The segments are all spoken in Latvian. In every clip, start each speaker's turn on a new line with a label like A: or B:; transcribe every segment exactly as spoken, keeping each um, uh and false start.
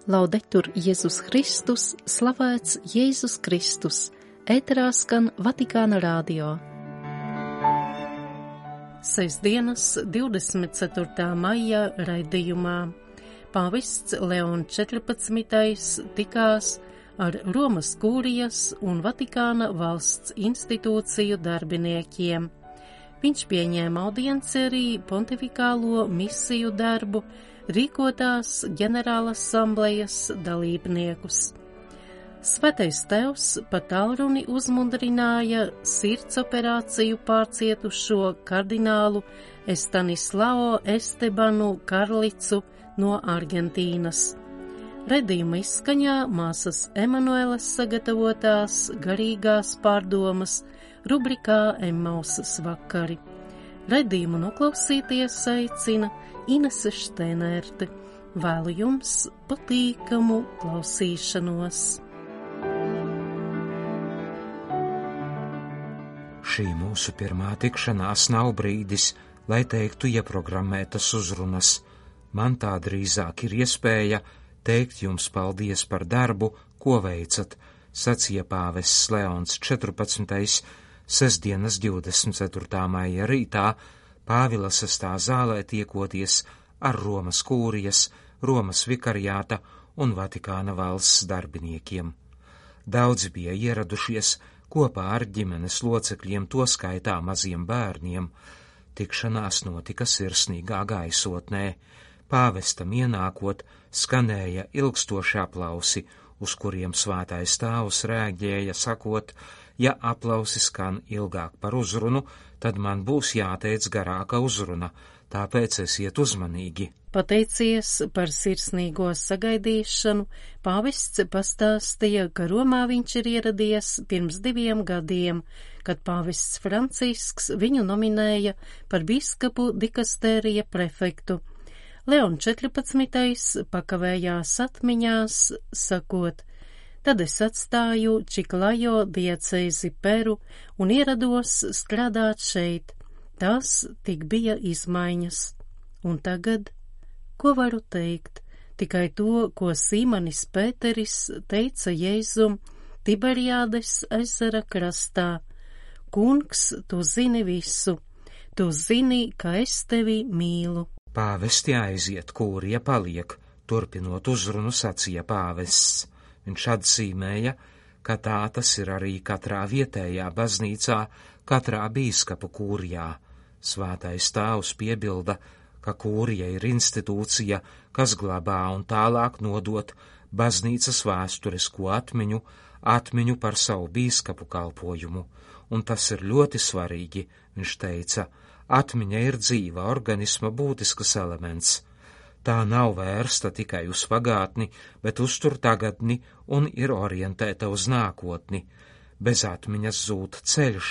A: Laudetur Jēzus Kristus, slavēts Jēzus Kristus, ēterā skan Vatikāna radio. Sestdienas divdesmit ceturtā maija raidījumā pāvests Leons četrpadsmitais tikās ar Romas kūrijas un Vatikāna valsts institūciju darbiniekiem. Viņš pieņēma audienci arī pontifikālo misiju darbu rīkotās ģenerālas asamblejas dalībniekus. Svētais Tēvs pa tālruni uzmundrināja sirds operāciju pārcietušo kardinālu Estanislao Estebanu Karlicu no Argentīnas. Redījuma izskaņā māsas Emanueles sagatavotās garīgās pārdomas rubrikā Emmausas vakari. Redījumu noklausīties aicina Inese Šteinerte. Vēlu jums patīkamu klausīšanos.
B: Šī mūsu pirmā tikšanās nav brīdis, lai teiktu ieprogrammētas uzrunas. Man tā drīzāk ir iespēja teikt jums paldies par darbu, ko veicat, sacīja pāvests Leons četrpadsmitais sestdienas divdesmit ceturtā maija rītā Pāvila sestā zālē tiekoties ar Romas kūrijas, Romas vikariāta un Vatikāna valsts darbiniekiem. Daudzi bija ieradušies kopā ar ģimenes locekļiem, to skaitā maziem bērniem. Tikšanās notika sirsnīgā gaisotnē. Pāvestam ienākot, skanēja ilgstoši aplausi, uz kuriem svētais tēvs rēģēja, sakot, ja aplausi skan ilgāk par uzrunu, tad man būs jāteic garāka uzruna, tāpēc esiet uzmanīgi.
A: Pateicies par sirsnīgo sagaidīšanu, pāvests pastāstīja, ka Romā viņš ir ieradies pirms diviem gadiem, kad pāvests Francisks viņu nominēja par biskupu dikastērija prefektu. Leons četrpadsmitais pakavējās atmiņās, sakot, tad es atstāju Čiklajo diecēzi Peru un ierados strādāt šeit. Tas tik bija izmaiņas. Un tagad, ko varu teikt? Tikai to, ko Sīmanis Pēteris teica Jēzum Tiberiādes ezera krastā. Kungs, tu zini visu. Tu zini, ka es tevi mīlu.
B: Pāvesti aiziet, kūrija paliek, turpinot uzrunu sacīja pāvests. Viņš atzīmēja, ka tā tas ir arī katrā vietējā baznīcā, katrā bīskapu kūrijā. Svētais tēvs piebilda, ka kūrija ir institūcija, kas glabā un tālāk nodot baznīcas vēsturisko atmiņu, atmiņu par savu bīskapu kalpojumu. Un tas ir ļoti svarīgi, viņš teica, atmiņa ir dzīva organisma būtisks elements. Tā nav vērsta tikai uz pagātni, bet uztur tagadni un ir orientēta uz nākotni. Bez atmiņas zūd ceļš,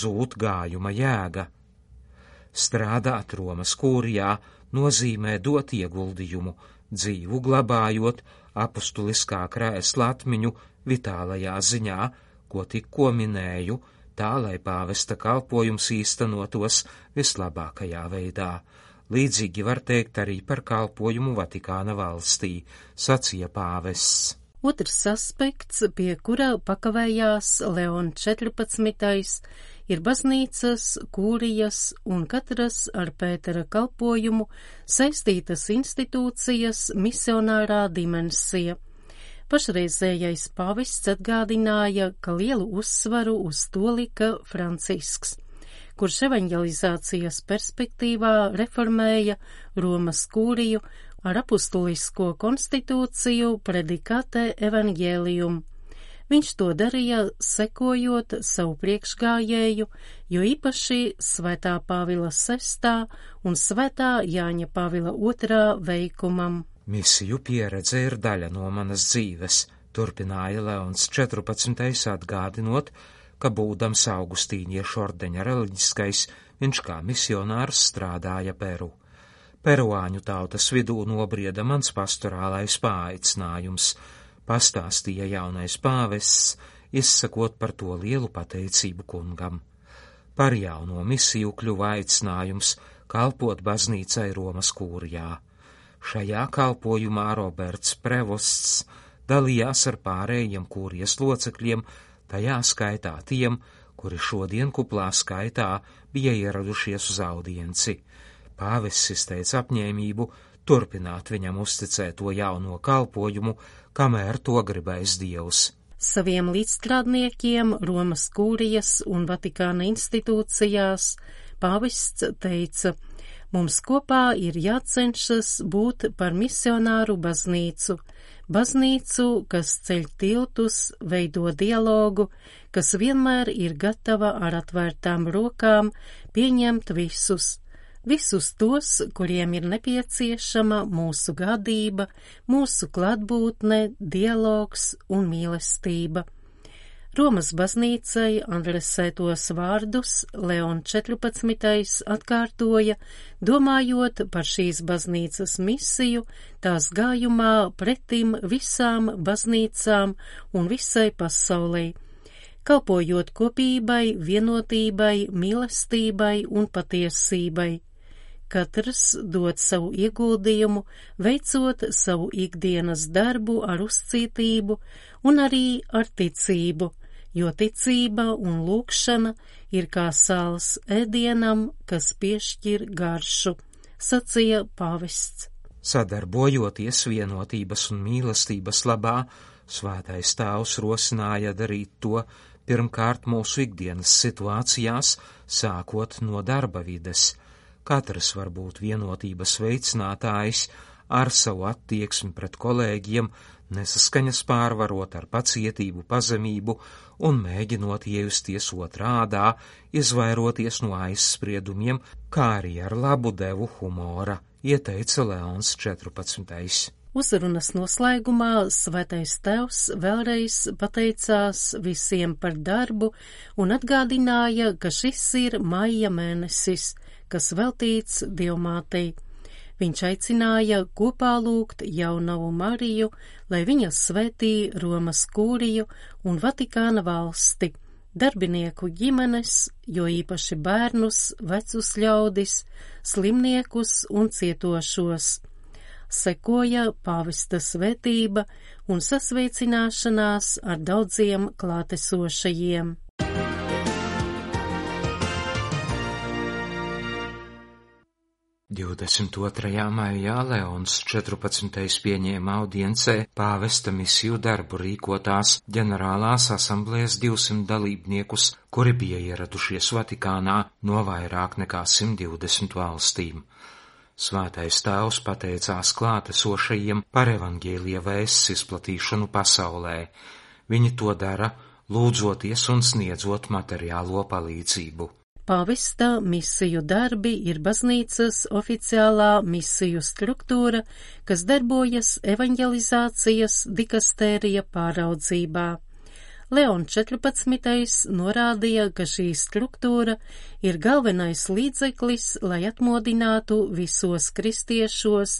B: zūd gājuma jēga. Strādāt Romas kūrijā nozīmē dot ieguldījumu, dzīvu glabājot apustuliskā krēsla atmiņu vitālajā ziņā, ko tikko minēju, tā, lai pāvesta kalpojums īstenotos vislabākajā veidā. Līdzīgi var teikt arī par kalpojumu Vatikāna valstī, sacīja pāvests.
A: Otrs aspekts, pie kura pakavējās Leons četrpadsmitais, ir baznīcas, kūrijas un katras ar Pētera kalpojumu saistītas institūcijas misionārā dimensija. Pašreizējais pāvests atgādināja, ka lielu uzsvaru uz to lika Francisks, kurš evaņģelizācijas perspektīvā reformēja Romas kūriju ar apustulisko konstitūciju Predikate Evangelium. Viņš to darīja sekojot savu priekšgājēju, jo īpaši Svētā Pāvila sestā un Svētā Jāņa Pāvila otrā veikumam.
B: Misiju pieredze ir daļa no manas dzīves, turpināja Leons četrpadsmitais atgādinot, ka būdams augustīniešu ordeņa reliģiskais, viņš kā misionārs strādāja Peru. Peruāņu tautas vidū nobrieda mans pastorālais paaicinājums, pastāstīja jaunais pāvests, izsakot par to lielu pateicību kungam. Par jauno misiju kļuva aicinājums kalpot baznīcai Romas kūrijā. Šajā kalpojumā Roberts Prevosts dalījās ar pārējiem kūrijas locekļiem, tajā skaitā tiem, kuri šodien kuplā skaitā bija ieradušies uz audienci. Pāvests izteica apņēmību turpināt viņam uzticēto jauno kalpojumu, kamēr to gribēs Dievs.
A: Saviem līdzstrādniekiem Romas kūrijas un Vatikāna institūcijās pāvests teica: mums kopā ir jācenšas būt par misionāru baznīcu, baznīcu, kas ceļ tiltus, veido dialogu, kas vienmēr ir gatava ar atvērtām rokām pieņemt visus, visus tos, kuriem ir nepieciešama mūsu gādība, mūsu klātbūtne, dialogs un mīlestība. Romas baznīcai adresētos vārdus Leons četrpadsmitais atkārtoja, domājot par šīs baznīcas misiju, tās gājumā pretim visām baznīcām un visai pasaulei, kalpojot kopībai, vienotībai, mīlestībai un patiesībai. Katrs dod savu ieguldījumu, veicot savu ikdienas darbu ar uzcītību un arī ar ticību, jo ticība un lūgšana ir kā sāls ēdienam, kas piešķir garšu, sacīja pāvests.
B: Sadarbojoties vienotības un mīlestības labā, Svētais Tēvs rosināja darīt to pirmkārt mūsu ikdienas situācijās, sākot no darba vides. Katrs var būt vienotības veicinātājs ar savu attieksmi pret kolēģiem, nesaskaņas pārvarot ar pacietību, pazemību un mēģinot iejusties otrādā, izvairoties no aizspriedumiem, kā arī ar labu devu humora, ieteica Leons četrpadsmitais.
A: Uzrunas noslēgumā Svētais Tēvs vēlreiz pateicās visiem par darbu un atgādināja, ka šis ir maija mēnesis, kas veltīts Dievmātei. Viņš aicināja kopā lūgt Jaunavu Mariju, lai viņa svētī Romas kūriju un Vatikāna valsti, darbinieku ģimenes, jo īpaši bērnus, vecus ļaudis, slimniekus un cietošos. Sekoja pāvesta svētība un sasveicināšanās ar daudziem klātesošajiem.
B: divdesmit otrajā maijā Leons četrpadsmitais pieņēma audiencē pāvesta misiju darbu rīkotās ģenerālās asamblējas divsimt dalībniekus, kuri bija ieradušies Vatikānā no vairāk nekā simt divdesmit valstīm. Svētais Tēvs pateicās klātesošajiem par evaņģēlija vēsts izplatīšanu pasaulē. Viņi to dara, lūdzoties un sniedzot materiālo palīdzību.
A: Pāvesta misiju darbi ir baznīcas oficiālā misiju struktūra, kas darbojas evaņģelizācijas dikastērija pāraudzībā. Leons četrpadsmitais norādīja, ka šī struktūra ir galvenais līdzeklis, lai atmodinātu visos kristiešos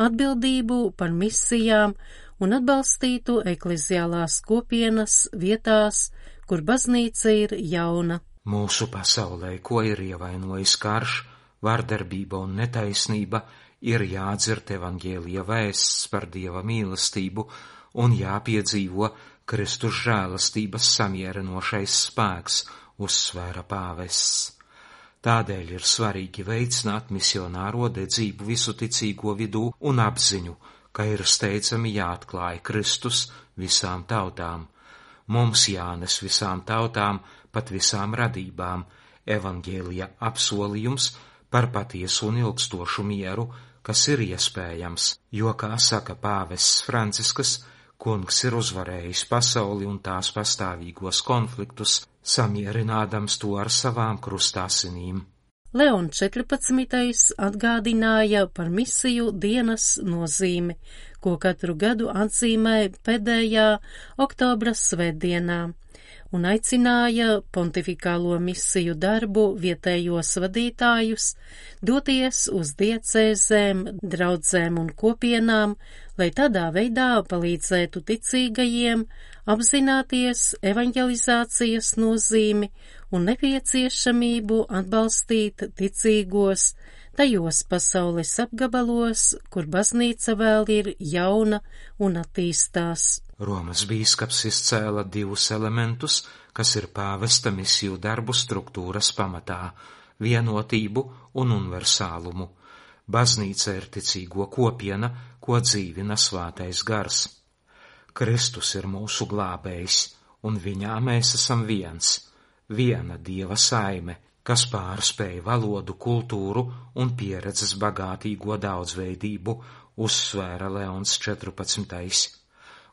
A: atbildību par misijām un atbalstītu ekleziālās kopienas vietās, kur baznīca ir jauna.
B: Mūsu pasaulē, ko ir ievainojis karš, vardarbība un netaisnība, ir jādzird evaņģēlija vēsts par Dieva mīlestību un jāpiedzīvo Kristus žēlastības samierinošais spēks, uzsvēra pāvests. Tādēļ ir svarīgi veicināt misionāro dedzību visu ticīgo vidū un apziņu, ka ir steidzami jāatklāj Kristus visām tautām. Mums jānes visām tautām, pat visām radībām, evaņģēlija apsolījums par patiesu un ilgstošu mieru, kas ir iespējams, jo, kā saka pāvests Francisks, Kungs ir uzvarējis pasauli un tās pastāvīgos konfliktus, samierinādams to ar savām krustāsinīm.
A: Leons četrpadsmitais atgādināja par misiju dienas nozīmi, ko katru gadu atzīmē pēdējā oktobra svētdienā, un aicināja pontifikālo misiju darbu vietējos vadītājus doties uz diecēzēm, draudzēm un kopienām, lai tādā veidā palīdzētu ticīgajiem apzināties evaņģelizācijas nozīmi un nepieciešamību atbalstīt ticīgos tajos pasaules apgabalos, kur baznīca vēl ir jauna un attīstās.
B: Romas bīskaps izcēla divus elementus, kas ir pāvesta misiju darbu struktūras pamatā – vienotību un universālumu. Baznīca ir ticīgo kopiena, ko dzīvina svētais gars. Kristus ir mūsu glābējs, un viņā mēs esam viens, viena Dieva saime, kas pārspēj valodu, kultūru un pieredzes bagātīgo daudzveidību, uzsvēra Leons četrpadsmitais.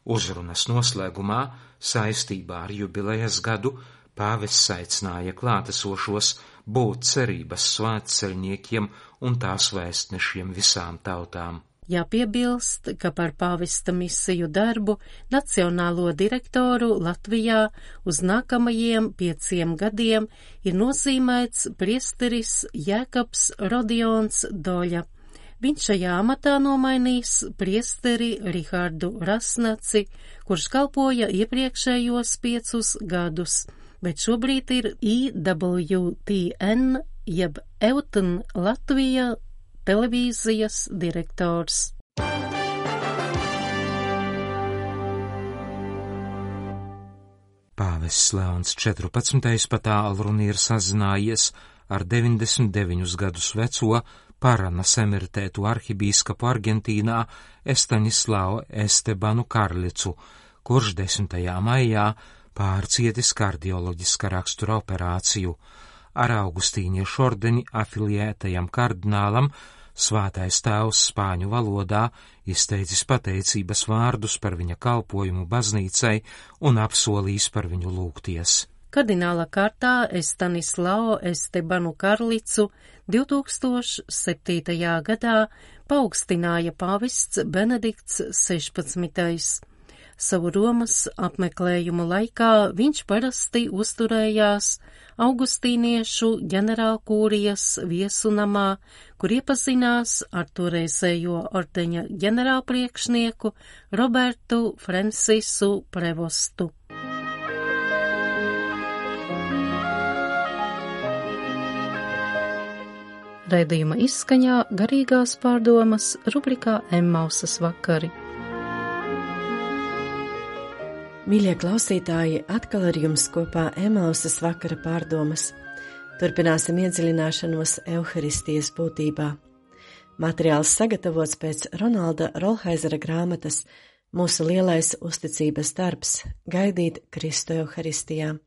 B: Uzrunas noslēgumā, saistībā ar jubilejas gadu, pāvests aicināja klātesošos būt cerības svētceļniekiem un tās vēstnešiem visām tautām.
A: Jāpiebilst, ka par pāvesta misiju darbu nacionālo direktoru Latvijā uz nākamajiem pieciem gadiem ir nozīmēts priesteris Jēkabs Rodions Doļa. Viņš šajā amatā nomainīs priesteri Rihardu Rasnaci, kurš kalpoja iepriekšējos piecus gadus, bet šobrīd ir I W T N jeb Eutn Latvija televīzijas direktors.
B: Pāvests Leons četrpadsmitais pa tālruni ir sazinājies ar deviņdesmit deviņus gadus veco Paranas emeritētu arhibīskapu Argentīnā Estanislao Estebanu Karlicu, kurš desmitajā maijā pārcietis kardioloģiska rakstura operāciju. Ar augustīniešu ordeni afiliētajam kardinālam Svētais tēvs spāņu valodā izteicis pateicības vārdus par viņa kalpojumu baznīcai un apsolījis par viņu lūgties.
A: Kardināla kārtā Estanislao Estebanu Karlicu divtūkstoš septītajā gadā paaugstināja pāvests Benedikts sešpadsmitais. Savu Romas apmeklējumu laikā viņš parasti uzturējās augustīniešu ģenerālkūrijas viesunamā, kur iepazinās ar toreizējo ordeņa ģenerālpriekšnieku Robertu Francisu Prevostu. Raidījuma izskaņā garīgās pārdomas rubrikā Emmausas vakari.
C: Mīļie klausītāji, atkal ar jums kopā Emmausas vakara pārdomas. Turpināsim iedziļināšanos Euharistijas būtībā. Materiāls sagatavots pēc Ronalda Rolhaizera grāmatas Mūsu lielais uzticības darbs – gaidīt Kristu Euharistijā.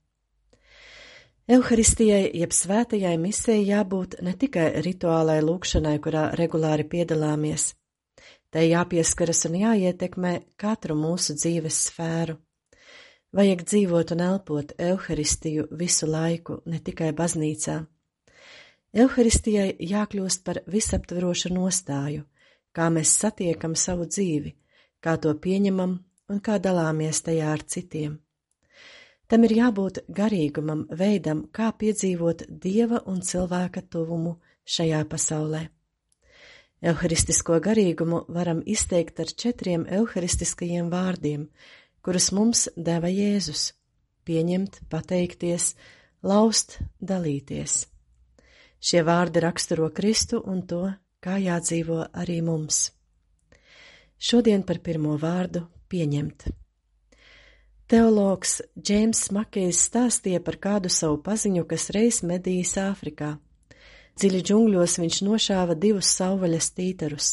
C: Euharistijai jeb svētajai misijai jābūt ne tikai rituālai lūkšanai, kurā regulāri piedalāmies. Tai jāpieskaras un jāietekmē katru mūsu dzīves sfēru. Vajag dzīvot un elpot Euharistiju visu laiku, ne tikai baznīcā. Euharistijai jākļūst par visaptverošu nostāju, kā mēs satiekam savu dzīvi, kā to pieņemam un kā dalāmies tajā ar citiem. Tam ir jābūt garīgumam, veidam, kā piedzīvot Dieva un cilvēka tuvumu šajā pasaulē. Euharistisko garīgumu varam izteikt ar četriem euharistiskajiem vārdiem, kurus mums deva Jēzus – pieņemt, pateikties, laust, dalīties. Šie vārdi raksturo Kristu un to, kā jādzīvo arī mums. Šodien par pirmo vārdu – pieņemt. Teologs Džeims Makejs stāstīja par kādu savu paziņu, kas reiz medījis Āfrikā. Dziļi džungļos viņš nošāva divus savvaļas tītarus.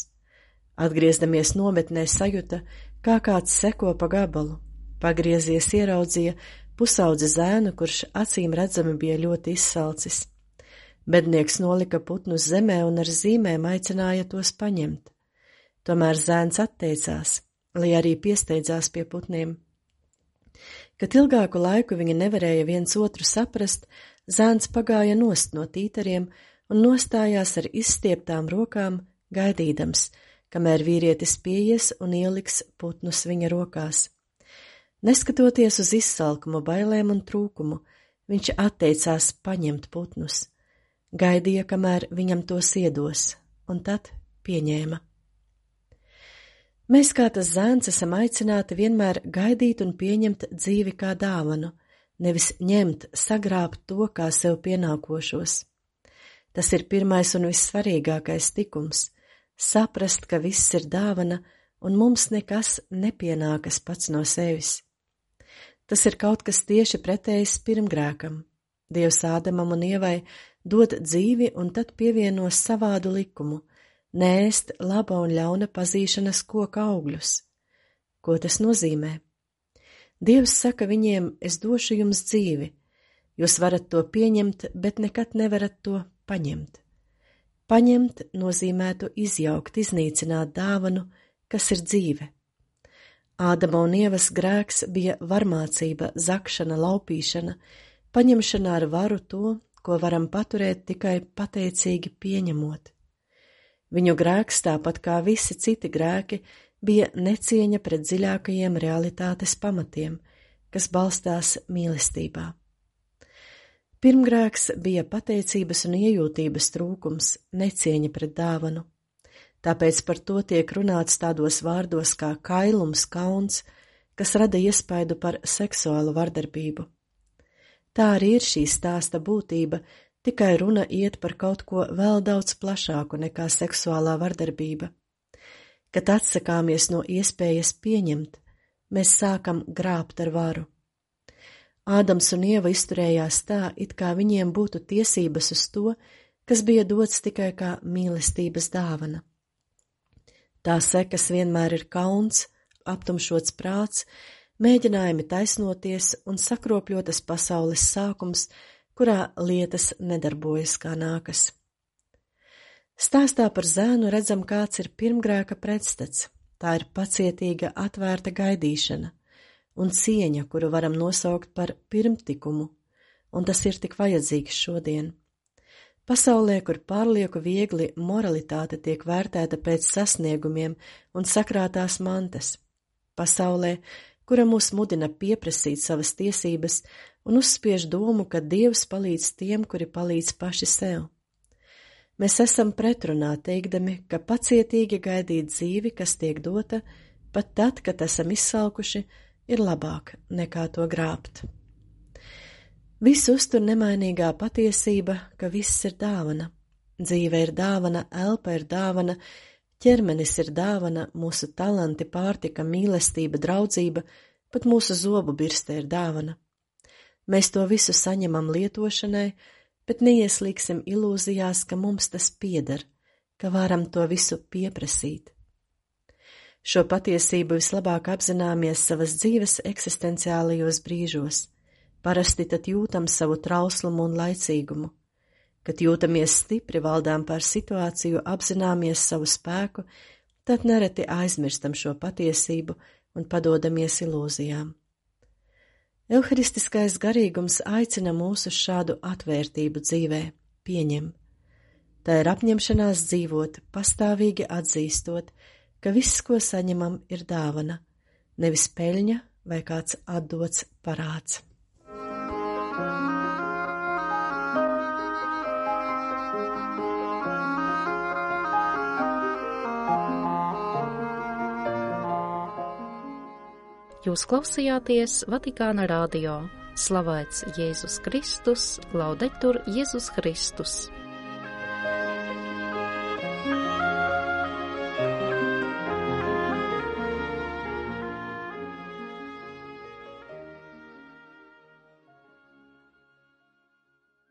C: Atgriezdamies nometnē sajuta, kā kāds seko pa gabalu. Pagriezies ieraudzīja pusaudzi zēnu, kurš acīm redzami bija ļoti izsalcis. Bednieks nolika putnus zemē un ar zīmēm aicināja tos paņemt. Tomēr zēns atteicās, lai arī piesteidzās pie putniem. Kad ilgāku laiku viņi nevarēja viens otru saprast, zēns pagāja nost no tītariem un nostājās ar izstieptām rokām, gaidīdams, kamēr vīrietis pieies un ieliks putnus viņa rokās. Neskatoties uz izsalkumu, bailēm un trūkumu, viņš atteicās paņemt putnus. Gaidīja, kamēr viņam tos iedos, un tad pieņēma. Mēs kā tas zēns esam aicināti vienmēr gaidīt un pieņemt dzīvi kā dāvanu, nevis ņemt, sagrābt to kā sev pienākošos. Tas ir pirmais un vissvarīgākais tikums – saprast, ka viss ir dāvana un mums nekas nepienākas pats no sevis. Tas ir kaut kas tieši pretējs pirmgrēkam. Dievs Ādamam un Ievai dod dzīvi un tad pievienos savādu likumu – neēst laba un ļauna pazīšanas koka augļus. Ko tas nozīmē? Dievs saka viņiem, es došu jums dzīvi. Jūs varat to pieņemt, bet nekad nevarat to paņemt. Paņemt nozīmētu izjaukt, iznīcināt dāvanu, kas ir dzīve. Ādama un Ievas grēks bija varmācība, zakšana, laupīšana, paņemšana ar varu to, ko varam paturēt tikai pateicīgi pieņemot. Viņu grēks, tāpat kā visi citi grēki, bija necieņa pret dziļākajiem realitātes pamatiem, kas balstās mīlestībā. Pirmgrēks bija pateicības un iejūtības trūkums, necieņa pret dāvanu. Tāpēc par to tiek runāts tādos vārdos kā kailums, kauns, kas rada iespaidu par seksuālu vardarbību. Tā arī ir šī stāsta būtība, tikai runa iet par kaut ko vēl daudz plašāku nekā seksuālā vardarbība. Kad atsakāmies no iespējas pieņemt, mēs sākam grābt ar varu. Ādams un Ieva izturējās tā, it kā viņiem būtu tiesības uz to, kas bija dots tikai kā mīlestības dāvana. Tā sekas vienmēr ir kauns, aptumšots prāts, mēģinājumi taisnoties un sakropļotas pasaules sākums, kurā lietas nedarbojas kā nākas. Stāstā par zēnu redzam, kāds ir pirmgrēka pretstats. Tā ir pacietīga, atvērta gaidīšana un cieņa, kuru varam nosaukt par pirmtikumu, un tas ir tik vajadzīgs šodien. Pasaulē, kur pārlieku viegli moralitāte tiek vērtēta pēc sasniegumiem un sakrātās mantas. Pasaulē, kura mūs mudina pieprasīt savas tiesības un uzspiež domu, ka Dievs palīdz tiem, kuri palīdz paši sev. Mēs esam pretrunā teikdami, ka pacietīgi gaidīt dzīvi, kas tiek dota, pat tad, kad esam izsalkuši, ir labāk nekā to grābt. Visu uztur nemainīgā patiesība, ka viss ir dāvana. Dzīve ir dāvana, elpa ir dāvana, ķermenis ir dāvana, mūsu talanti, pārtika, mīlestība, draudzība, pat mūsu zobu birste ir dāvana. Mēs to visu saņemam lietošanai, bet neieslīgsim ilūzijās, ka mums tas pieder, ka varam to visu pieprasīt. Šo patiesību vislabāk apzināmies savas dzīves eksistenciālajos brīžos, parasti tad jūtam savu trauslumu un laicīgumu. Kad jūtamies stipri, valdām pār situāciju, apzināmies savu spēku, tad nereti aizmirstam šo patiesību un padodamies ilūzijām. Euharistiskais garīgums aicina mūs uz šādu atvērtību dzīvē, pieņem. Tā ir apņemšanās dzīvot, pastāvīgi atzīstot, ka viss, ko saņemam, ir dāvana, nevis peļņa vai kāds atdots parāds.
A: Jūs klausījāties Vatikāna radio. Slavēts Jēzus Kristus, laudetur Jēzus Kristus.